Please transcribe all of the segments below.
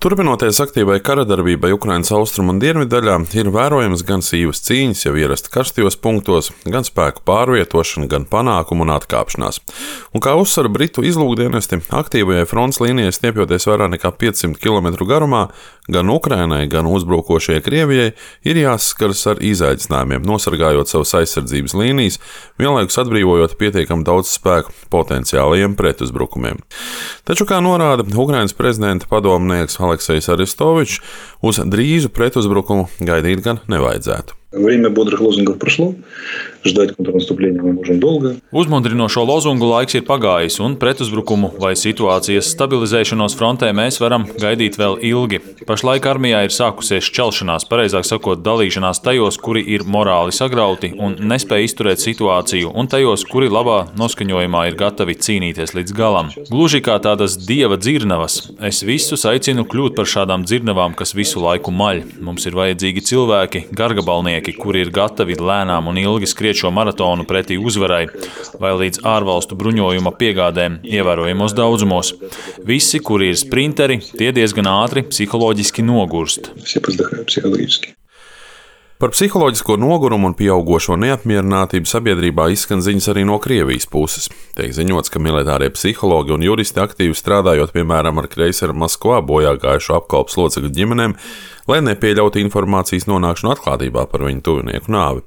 Turpinoties aktīvai karadarbībai Ukrainas austrumu un dienvidu daļā, ir vērojams gan sīvas cīņas jau ierasti karstajos punktos, gan spēku pārvietošana, gan panākumu un atkāpšanās. Un kā uzsver Britu izlūkdienesti, aktīvajai frontes līnijai stiepjoties vairāk nekā 500 km garumā, gan Ukrainai, gan uzbrukošajai Krievijai ir jāsaskaras ar izaicinājumiem, nosargājot savas aizsardzības līnijas, vienlaikus atbrīvojot pietiekami daudz spēku potenciālajiem pretuzbrukumiem. Taču, kā norāda Ukrainas prezidenta padomnieks Aleksejs Arestovičs, uz drīzu pretuzbrukumu gaidīt gan nevajadzētu. Время бодрых лозунгов прошло, ждать контрнаступления мы можем долго. Uzmundrinošo lozungu laiks ir pagājis, un pretuzbrukumu vai situācijas stabilizēšanos frontē mēs varam gaidīt vēl ilgi. Pašlaik armijā ir sākusies šķelšanās, pareizāk sakot, dalīšanās tajos, kuri ir morāli sagrauti un nespēj izturēt situāciju, un tajos, kuri labā noskaņojumā ir gatavi cīnīties līdz galam. Gluži kā tādas dieva dzirnavas. Es visus aicinu kļūt par šādām dzirnavām, kas visu laiku maļ. Mums ir vajadzīgi cilvēki, gargabalnieki, kuri ir gatavi lēnām un ilgi skriet šo maratonu pretī uzvarai vai līdz ārvalstu bruņojuma piegādēm ievērojamos daudzumos. Visi, kuri ir sprinteri, tie diezgan ātri psiholoģiski nogurst. Par psiholoģisko nogurumu un pieaugošo neapmierinātību sabiedrībā izskan ziņas arī no Krievijas puses. Tiek ziņots, ka militārie psihologi un juristi aktīvi strādājot, piemēram, ar kreiseru Maskvā bojā gājušo apkalpes locekļu ģimenēm, lai nepieļautu informācijas nonākšanu atklātībā par viņu tuvinieku nāvi.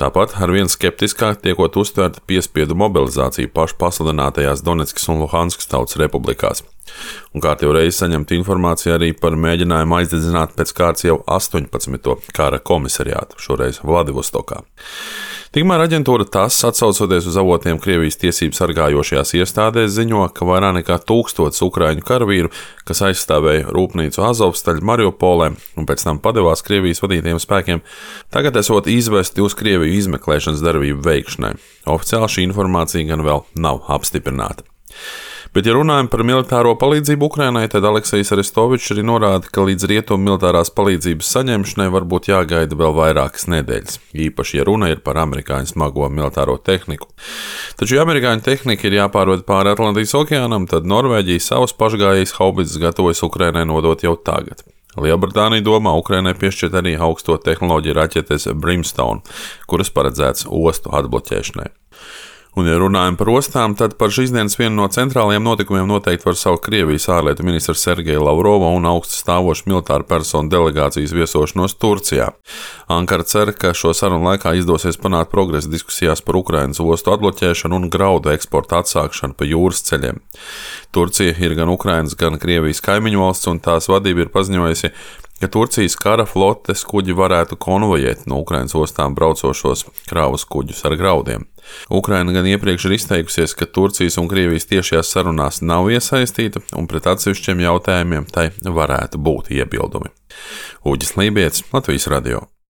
Tāpat arvien skeptiskāk tiekot uztverta piespiedu mobilizācija pašu pasludinātajās Donetskas un Luhanskas tautas republikās. Un kārtīgi reiz saņemta informācija arī par mēģinājumu aizdedzināt pēc kārtas jau 18. kara komisariātu, šoreiz Vladivostokā. Tikmēr aģentūra TASS, atsaucoties uz avotiem Krievijas tiesību sargājošajās iestādēs, ziņo, ka vairāk nekā 1000 ukraiņu karavīru, kas aizstāvēja rūpnīcu Azovstaļu Mariupolē un pēc tam padevās Krievijas vadītiem spēkiem, tagad esot izvesti uz Krieviju izmeklēšanas darbību veikšanai. Oficiāli šī informācija gan vēl nav apstiprināta. Bet, ja runājam par militāro palīdzību Ukrainai, tad Aleksejs Arestovičs arī norāda, ka līdz rietumu militārās palīdzības saņemšanai varbūt jāgaida vēl vairākas nedēļas, īpaši, ja runa ir par amerikāņu smago militāro tehniku. Taču, ja amerikāņu tehnika ir jāpārved pāri Atlantijas okeānam, tad Norvēģija savas pašgājējas haubicas gatavojas Ukrainai nodot jau tagad. Lielbritānija domā Ukrainai piešķirt arī augsto tehnoloģiju raķetes Brimstone, kuras paredzēts ostu atbloķēšanai. Un, ja runājam par ostām, tad par šīs dienas vienu no centrālajiem notikumiem noteikti var saukt Krievijas ārlietu ministra Sergeja Lavrova un augstu stāvošu militāru personu delegācijas viesošanos Turcijā. Ankara cer, ka šo sarunu laikā izdosies panākt progresu diskusijās par Ukrainas ostu atbloķēšanu un graudu eksportu atsākšanu pa jūras ceļiem. Turcija ir gan Ukrainas, gan Krievijas kaimiņu valsts, un tās vadība ir paziņojusi, ka Turcijas kara flotes kuģi varētu konvojēt no Ukrainas ostām braucošos kravas kuģus ar graudiem. Ukraina gan iepriekš ir izteikusies, ka Turcijas un Krievijas tiešajās sarunās nav iesaistīta un pret atsevišķiem jautājumiem tai varētu būt iebildumi. Uģis Lībietis, Latvijas radio.